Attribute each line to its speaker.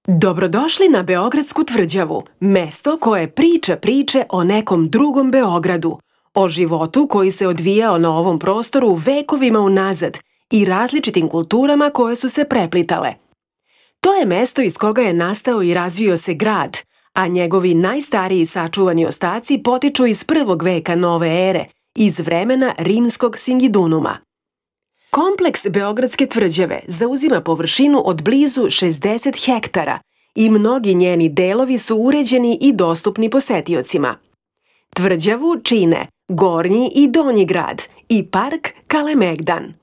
Speaker 1: Dobrodošli na Beogradsku tvrđavu, mesto koje priča priče o nekom drugom Beogradu, o životu koji se odvijao na ovom prostoru vekovima unazad i različitim kulturama koje su se preplitale. To je mesto iz koga je nastao i razvio se grad, a njegovi najstariji sačuvani ostaci potiču iz 1. veka nove ere, iz vremena rimskog Singidunuma. Kompleks Beogradske tvrđave zauzima površinu od blizu 60 hektara i mnogi njeni delovi su uređeni i dostupni posetiocima. Tvrđavu čine Gornji i Donji grad i park Kalemegdan.